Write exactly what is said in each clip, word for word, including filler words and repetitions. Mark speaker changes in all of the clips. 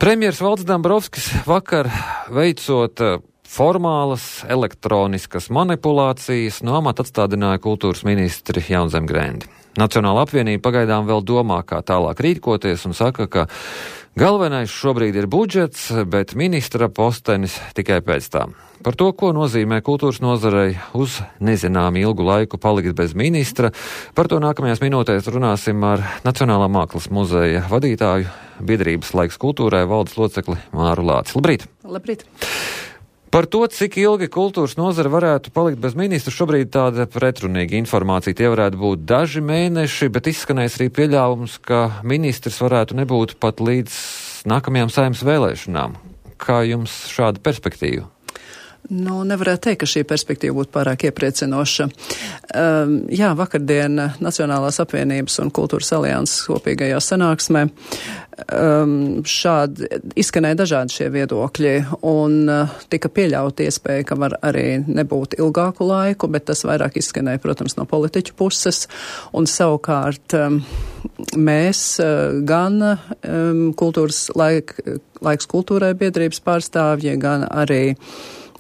Speaker 1: Premjers Valdis Dombrovskis vakar veicot formālas elektroniskas manipulācijas no amata atstādināja kultūras ministri Jaunzem Grendi. Nacionāla apvienība pagaidām vēl domā, kā tālāk rīkoties un saka, ka galvenais šobrīd ir budžets, bet ministra postenis tikai pēc tam. Par to, ko nozīmē kultūras nozarei uz nezinām ilgu laiku palikt bez ministra, par to nākamajās minūtēs runāsim ar Nacionālā mākslas muzeja vadītāju, biedrības Laiks kultūrai valdes locekli Māru Lāci. Labrīt!
Speaker 2: Labrīt!
Speaker 1: Par to, cik ilgi kultūras nozara varētu palikt bez ministra, šobrīd tāda pretrunīga informācija. Tie varētu būt daži mēneši, bet izskanēs arī pieļāvums, ka ministrs varētu nebūt pat līdz nākamajām saimnes vēlēšanām. Kā jums šāda perspektīva?
Speaker 2: Nu, nevarētu teikt, ka šī perspektīva būtu pārāk iepriecinoša. Um, jā, vakardien Nacionālās apvienības un Kultūras alianses kopīgajā sanāksmē um, šādi izskanēja dažādi šie viedokļi un uh, tika pieļauta iespēja, ka var arī nebūt ilgāku laiku, bet tas vairāk izskanēja, protams, no politiķu puses. Un savukārt um, mēs uh, gan um, kultūras laik, laiks kultūrai biedrības pārstāvji, gan arī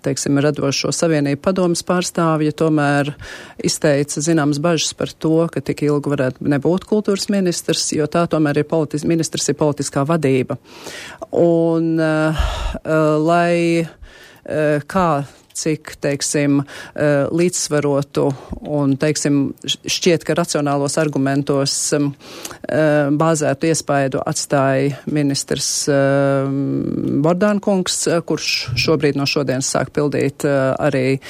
Speaker 2: teiksim, radošo savienību padomas pārstāvja tomēr izteica zināmas bažas par to, ka tik ilgi varētu nebūt kultūras ministrs, jo tā tomēr ir politis, ministrs ir politiskā vadība. Un uh, uh, lai uh, kā cik, teiksim, līdzsvarotu un, teiksim, šķiet, ka racionālos argumentos bāzētu iespaidu atstāja ministrs Bordānkungs, kurš šobrīd no šodienas sāk pildīt arī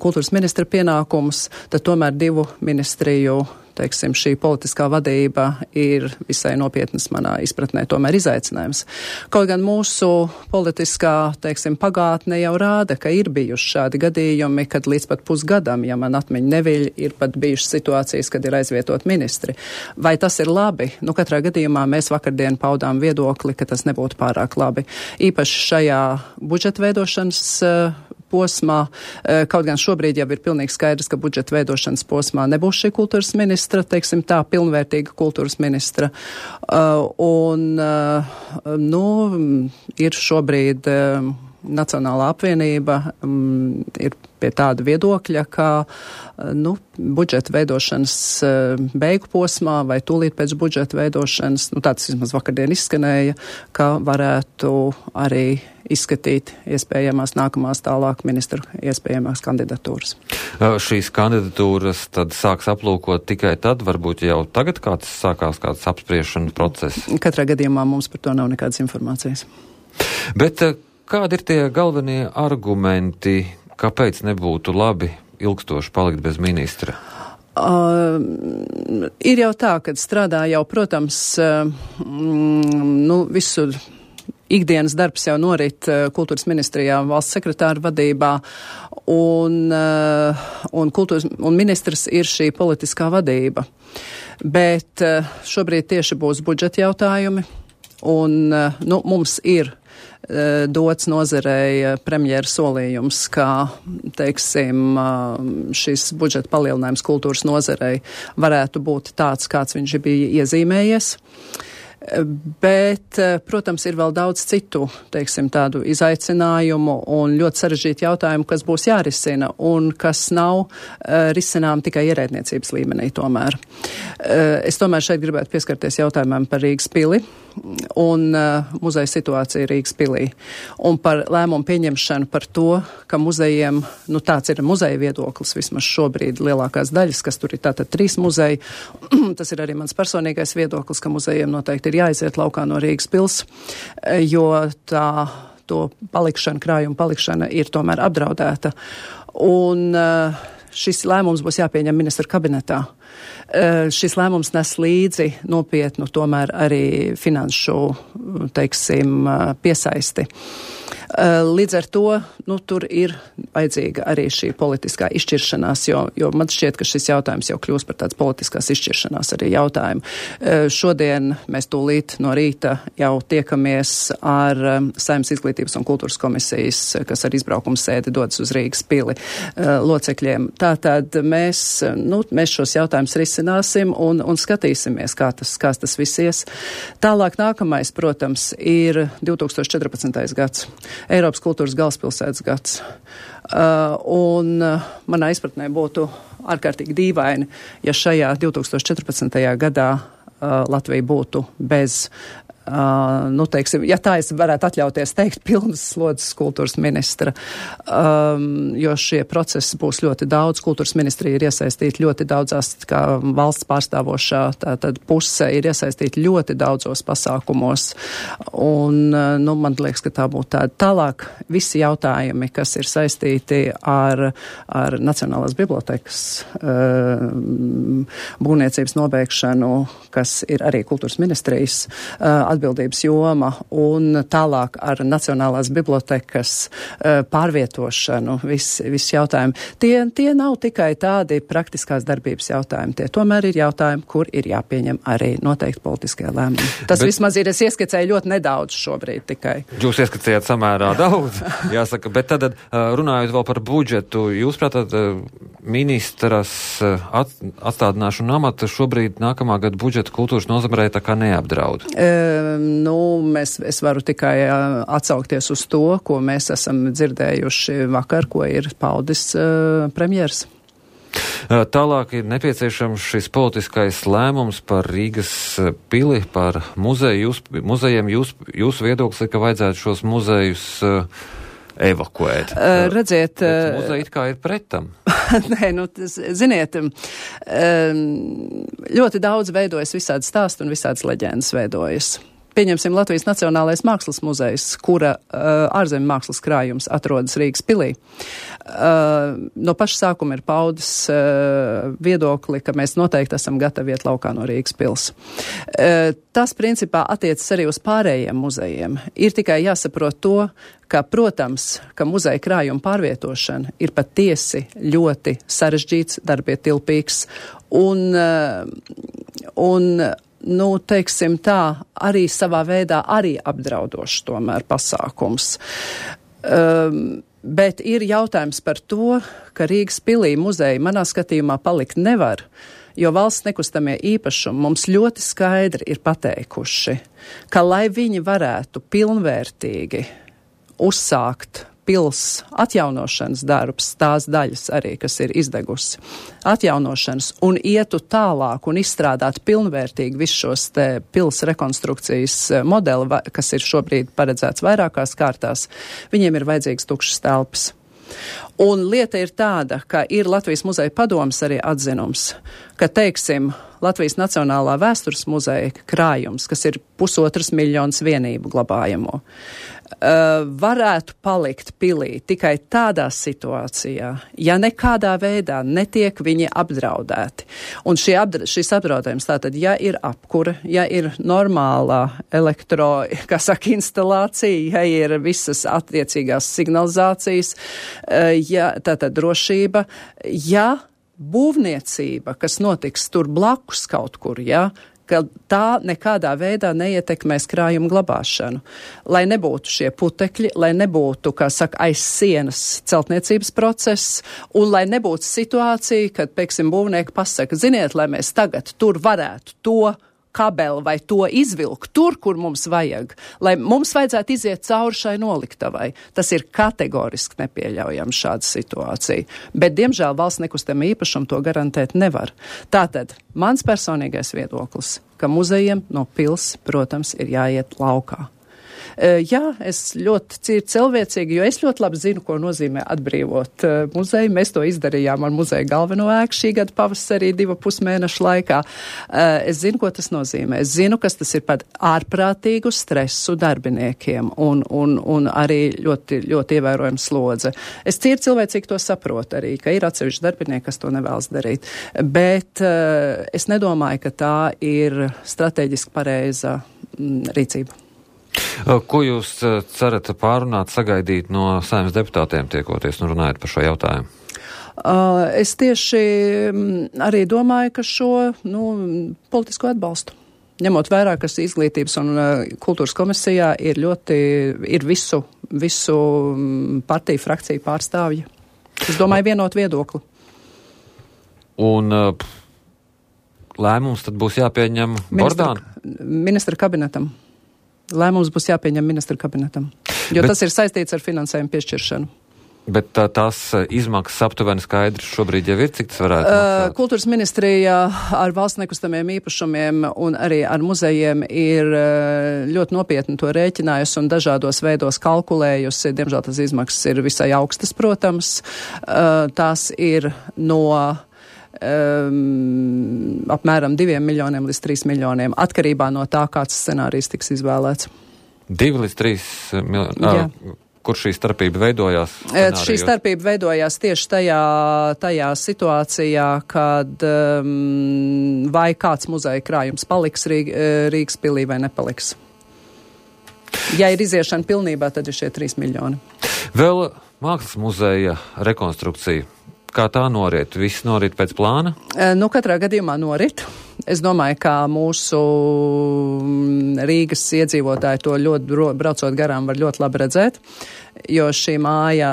Speaker 2: kultūras ministra pienākumus, tad tomēr divu ministriju teiksim, šī politiskā vadība ir visai nopietnas manā izpratnē tomēr izaicinājums. Kaut gan mūsu politiskā, teiksim, pagātne jau rāda, ka ir bijuši šādi gadījumi, kad līdz pat pusgadam, ja man atmiņa neviļ, ir pat bijušas situācijas, kad ir aizvietot ministri. Vai tas ir labi? Nu, katrā gadījumā mēs vakardien paudām viedokli, ka tas nebūtu pārāk labi. Īpaši šajā budžeta veidošanas uh, posmā, kaut gan šobrīd jau ir pilnīgi skaidrs, ka budžeta veidošanas posmā nebūs šī kultūras ministra, teiksim tā, pilnvērtīga kultūras ministra. Uh, un, uh, nu, ir šobrīd uh, Nacionālā apvienība um, ir pie tāda viedokļa, ka uh, nu, budžeta veidošanas uh, beigu posmā vai tūlīt pēc budžeta veidošanas, nu tāds vismaz vakardien izskanēja, ka varētu arī izskatīt iespējamās nākamās tālāk ministru iespējamās kandidatūras.
Speaker 1: Šīs kandidatūras tad sāks aplūkot tikai tad, varbūt jau tagad kāds sākās kāds apspriešana process?
Speaker 2: Katrā gadījumā mums par to nav nekādas informācijas.
Speaker 1: Bet kādi ir tie galvenie argumenti, kāpēc nebūtu labi ilgstoši palikt bez ministra?
Speaker 2: Uh, ir jau tā, kad strādā jau, protams, uh, mm, nu, visu ikdienas darbs jau norit uh, kultūras ministrijā valsts sekretāra vadībā, un, uh, un, kultūras, un ministrs ir šī politiskā vadība. Bet uh, šobrīd tieši būs budžeta jautājumi, un uh, nu, mums ir uh, dots nozarei premjera solījums, ka, teiksim, uh, šis budžeta palielinājums kultūras nozarei varētu būt tāds, kāds viņš bija iezīmējies. Bet, protams, ir vēl daudz citu, teiksim, tādu izaicinājumu un ļoti sarežģītu jautājumu, kas būs jārisina un kas nav uh, risinām tikai ierēdniecības līmenī tomēr. Uh, es tomēr šeit gribētu pieskarties jautājumam par Rīgas pili un uh, muzeja situāciju Rīgas pilī un par lēmumu pieņemšanu par to, ka muzejiem, nu tāds ir muzeja viedoklis vismaz šobrīd lielākās daļas, kas tur ir tātad trīs muzeji. Tas ir arī mans personīgais viedoklis, ka muzejiem noteikti ir jāiziet laukā no Rīgas pils, jo tā to palikšana, krājuma palikšana ir tomēr apdraudēta. Un uh, šis lēmums būs jāpieņem ministra kabinetā. Uh, šis lēmums nes līdzi nopietnu tomēr arī finanšu, teiksim, uh, piesaisti. Līdz ar to, nu, tur ir vajadzīga arī šī politiskā izšķiršanās, jo, jo man šķiet, ka šis jautājums jau kļūst par tāds politiskās izšķiršanās arī jautājumu. Šodien mēs tūlīt no rīta jau tiekamies ar Saeimas izglītības un kultūras komisijas, kas ar izbraukumu sēdi dodas uz Rīgas pili locekļiem. Tātad mēs, nu, mēs šos jautājumus risināsim un, un skatīsimies, kā tas, kā tas viss ies. Tālāk nākamais, protams, ir divtūkstoš četrpadsmitais gads, Eiropas kultūras galvaspilsētas gads. Uh, un uh, manā izpratnē būtu ārkārtīgi dīvaini, ja šajā divtūkstoš četrpadsmitajā gadā uh, Latvija būtu bez Uh, nu, teiksim, ja tā es varētu atļauties teikt, pilnas slodzes kultūras ministra, um, jo šie procesi būs ļoti daudz. Kultūras ministrija ir iesaistīta ļoti daudzās, kā valsts pārstāvošā, tātad puse ir iesaistīta ļoti daudzos pasākumos. Un, uh, nu, man liekas, ka tā būtu tāda. Tālāk visi jautājumi, kas ir saistīti ar, ar Nacionālās bibliotekas uh, būvniecības nobeigšanu, kas ir arī kultūras ministrijas uh, atbildības joma, un tālāk ar Nacionālās bibliotekas uh, pārvietošanu, viss vis jautājumi. Tie, tie nav tikai tādi praktiskās darbības jautājumi, tie tomēr ir jautājumi, kur ir jāpieņem arī noteikti politiskie lēmumi. Tas bet, vismaz ir, es ieskicēju ļoti nedaudz šobrīd tikai.
Speaker 1: Jūs ieskicējāt samērā daudz, jāsaka, bet tad runājot vēl par budžetu, jūs prātāt ministras at, atstādināšanu amata šobrīd nākamā gada budžeta kultūras nozarē tā kā neapdraud?
Speaker 2: E, Nu, mēs, es varu tikai uh, atsaukties uz to, ko mēs esam dzirdējuši vakar, ko ir paudis uh, premjers.
Speaker 1: Tālāk ir nepieciešams šis politiskais lēmums par Rīgas pili, par muzeju. Jūs, muzejiem jūs, jūsu viedoklis ir, ka vajadzētu šos muzejus uh, evakuēt.
Speaker 2: Uh, redziet,
Speaker 1: uh, muzeji it kā ir pretam.
Speaker 2: Nē, nu, ziniet, ļoti daudz veidojas visādi stāsti un visādas leģendas veidojas. Pieņemsim Latvijas Nacionālais mākslas muzejs, kura uh, ārzemju mākslas krājums atrodas Rīgas pilī. Uh, no paša sākuma ir paudis uh, viedokli, ka mēs noteikti esam gatavi iet laukā no Rīgas pils. Uh, tas principā attiecas arī uz pārējiem muzejiem. Ir tikai jāsaprot to, ka, protams, ka muzeja krājuma pārvietošana ir patiesi ļoti sarežģīts, darbietilpīgs un, uh, un nu, teiksim tā, arī savā veidā arī apdraudošs tomēr pasākums. Um, bet ir jautājums par to, ka Rīgas pilī muzeja manā skatījumā palikt nevar, jo valsts nekustamie īpašumi mums ļoti skaidri ir pateikuši, ka lai viņi varētu pilnvērtīgi uzsākt pils atjaunošanas darbs, tās daļas arī, kas ir izdegusi, atjaunošanas un ietu tālāk un izstrādāt pilnvērtīgi visus šos te pils rekonstrukcijas modeli, kas ir šobrīd paredzēts vairākās kārtās, viņiem ir vajadzīgs tukšas telpas. Un lieta ir tāda, ka ir Latvijas muzeja padomes arī atzinums, ka, teiksim, Latvijas Nacionālā vēstures muzeja krājums, kas ir pusotras miljonas vienību glabājamo, Uh, varētu palikt pilī tikai tādā situācijā, ja nekādā veidā netiek viņi apdraudēti. Un šie apdra- šis apdraudējums tātad, ja ir apkura, ja ir normālā elektro, kā saka, instalācija, ja ir visas attiecīgās signalizācijas, uh, ja tātad drošība, ja būvniecība, kas notiks tur blakus kaut kur, ja, ka tā nekādā veidā neietekmēs krājumu glabāšanu. Lai nebūtu šie putekļi, lai nebūtu, kā saka, aiz sienas celtniecības process, un lai nebūtu situācija, kad, pieksim, būvnieki pasaka, ziniet, lai mēs tagad tur varētu to kabeli vai to izvilkt tur, kur mums vajag, lai mums vajadzētu iziet cauri šai noliktavai. Tas ir kategoriski nepieļaujams šāda situācija. Bet, diemžēl, valsts nekustamā īpašuma to garantēt nevar. Tātad, mans personīgais viedoklis, ka muzejiem no pils, protams, ir jāiet laukā. Uh, jā, es ļoti cīru cilvēcīgi, jo es ļoti labi zinu, ko nozīmē atbrīvot uh, muzeju. Mēs to izdarījām ar muzeja galveno ēku šī gada pavasarī divu pusmēnešu laikā. Uh, es zinu, ko tas nozīmē. Es zinu, kas tas ir par ārprātīgu stresu darbiniekiem un, un, un arī ļoti, ļoti ievērojama slodze. Es cīru cilvēcīgi to saprotu arī, ka ir atsevišķi darbinieki, kas to nevēlas darīt. Bet uh, es nedomāju, ka tā ir strateģiski pareiza mm, rīcība.
Speaker 1: Ko jūs cerat pārunāt, sagaidīt no Saeimas deputātiem tiekoties un runājot par šo jautājumu?
Speaker 2: Uh, es tieši arī domāju, ka šo nu, politisko atbalstu, ņemot vērā, kas izglītības un uh, kultūras komisijā ir ļoti, ir visu, visu partiju frakciju pārstāvji. Es domāju, vienot viedokli.
Speaker 1: Un uh, lēmums tad būs jāpieņem Bordāna?
Speaker 2: Ministra kabinetam. Lēmums būs jāpieņem ministra kabinetam, jo bet, tas ir saistīts ar finansējumu piešķiršanu.
Speaker 1: Bet tā, tās izmaksas aptuveni skaidrs šobrīd jau ir, cik tas varētu maksāt?
Speaker 2: Kultūras ministrija ar valsts nekustamiem īpašumiem un arī ar muzejiem ir ļoti nopietni to rēķinājusi un dažādos veidos kalkulējusi. Diemžēl tas izmaksas ir visai augstas, protams. Tās ir no um, apmēram diviem miljoniem līdz trīs miljoniem, atkarībā no tā, kāds scenārijs tiks izvēlēts.
Speaker 1: Divi līdz trīs miljoni? Kur šī starpība veidojās?
Speaker 2: Scenārijos? Šī starpība veidojās tieši tajā, tajā situācijā, kad um, vai kāds muzeja krājums paliks Rīg, Rīgas pilī vai nepaliks. Ja ir iziešana pilnībā, tad ir šie trīs miljoni.
Speaker 1: Vēl mākslas muzeja rekonstrukcija. Kā tā norit? Viss norit pēc plāna?
Speaker 2: Nu, katrā gadījumā norit. Es domāju, ka mūsu Rīgas iedzīvotāji to ļoti braucot garām var ļoti labi redzēt, jo šī māja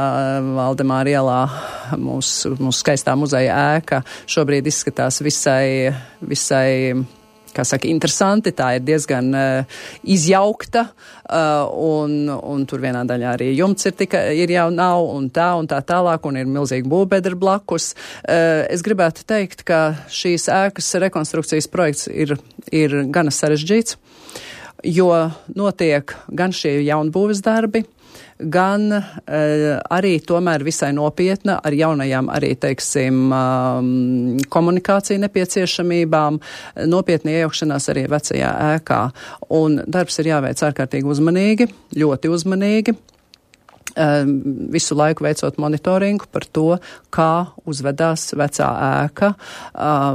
Speaker 2: Valdemāra ielā, mūsu, mūsu skaistā muzeja ēka, šobrīd izskatās visai, visai, kā saka, interesanti, tā ir diezgan uh, izjaukta, uh, un, un tur vienā daļā arī jumts ir, tika, ir jau nav, un tā, un tā tālāk, un ir milzīgi būvbedra blakus. Uh, es gribētu teikt, ka šīs ēkas rekonstrukcijas projekts ir, ir gana sarežģīts, jo notiek gan šie jaunbūves darbi, gan uh, arī tomēr visai nopietna ar jaunajām arī, teiksim, um, komunikāciju nepieciešamībām, nopietni iejaukšanās arī vecajā ēkā. Un darbs ir jāveic ārkārtīgi uzmanīgi, ļoti uzmanīgi. Visu laiku veicot monitoringu par to, kā uzvedās vecā ēka,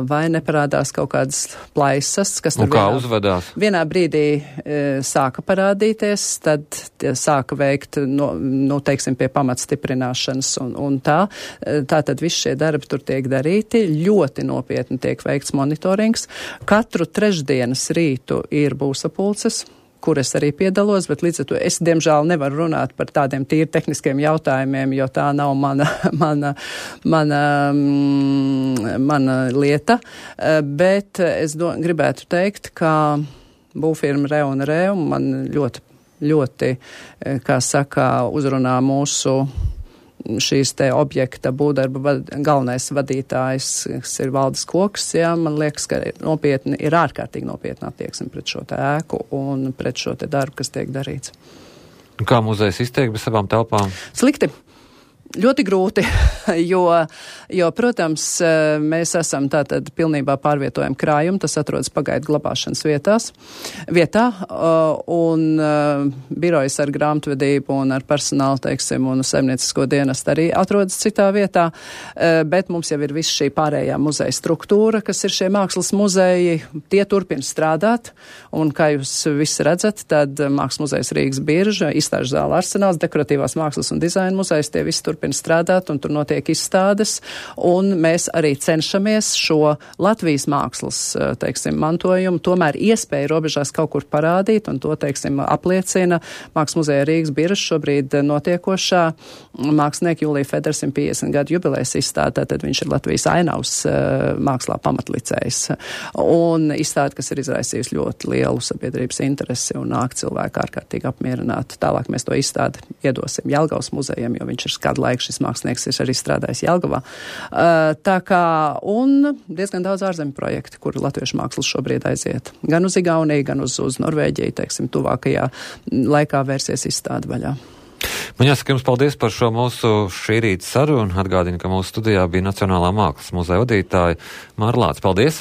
Speaker 2: vai neparādās kaut kādas plaisas, kas tur
Speaker 1: un kā
Speaker 2: vienā,
Speaker 1: uzvedās?
Speaker 2: Vienā brīdī e, sāka parādīties, tad sāka veikt, no, nu, teiksim, pie pamatstiprināšanas un, un tā. Tā tad visi šie darbi tur tiek darīti, ļoti nopietni tiek veikts monitorings. Katru trešdienas rītu ir būvsapulces, kur es arī piedalos, bet līdz ar to es, diemžēl, nevaru runāt par tādiem tīri tehniskiem jautājumiem, jo tā nav mana, mana, mana, mana lieta. Bet es do, gribētu teikt, ka būvfirma Reu un Reu man ļoti, ļoti, kā saka, uzrunā mūsu šīs te objekta būvdarba vad, galvenais vadītājs, kas ir Valdis Koks, jā, man liekas, ka nopietni, ir ārkārtīgi nopietna attieksme pret šo te ēku un pret šo te darbu, kas tiek darīts.
Speaker 1: Kā muzejs izteikt bez savām telpām?
Speaker 2: Slikti. Ļoti grūti, jo, jo, protams, mēs esam tātad pilnībā pārvietojam krājumu, tas atrodas pagaidu glabāšanas vietās, vietā, un birojas ar grāmatvedību un ar personālu, teiksim, un saimniecisko dienestu arī atrodas citā vietā, bet mums jau ir viss šī pārējā muzeja struktūra, kas ir šie mākslas muzeji, tie turpina strādāt, un kā jūs visi redzat, tad Mākslas muzejs Rīgas Birža, izstāžu zāle Arsenāls, dekoratīvās mākslas un dizaina muzejs, tie visi turpina strādāt, un tur notiek izstādes, un mēs arī cenšamies šo Latvijas mākslas, teiksim, mantojumu tomēr iespēju robežās kaut kur parādīt, un to, teiksim, apliecina Mākslas muzeja Rīgas Birža šobrīd notiekošā mākslinieka Jūlija Federa simt piecdesmit gadu jubilejas izstāde, tad viņš ir Latvijas ainavas mākslā pamatlicējs, un izstāde, kas ir izraisījusi ļoti lielu sabiedrības interesi un nāk cilvēku ārkārtīgi apmierināti. Tālāk mēs to izstādi iedosim Jelgavas muzejam, jo viņš ir kādu laiku šis mākslinieks ir arī strādājis Jelgavā. Uh, tā kā, un diezgan daudz ārzemju projektu, kur latviešu mākslas šobrīd aiziet. Gan uz Igauniju, gan uz, uz Norvēģiju, teiksim, tuvākajā laikā vērsies izstāde vaļā.
Speaker 1: Man jāsaka jums paldies par šo mūsu šī rīta sarunu. Atgādinu, ka mūsu studijā bija Nacionālā mākslas muzeja vadītāja Māra Lāce. Paldies!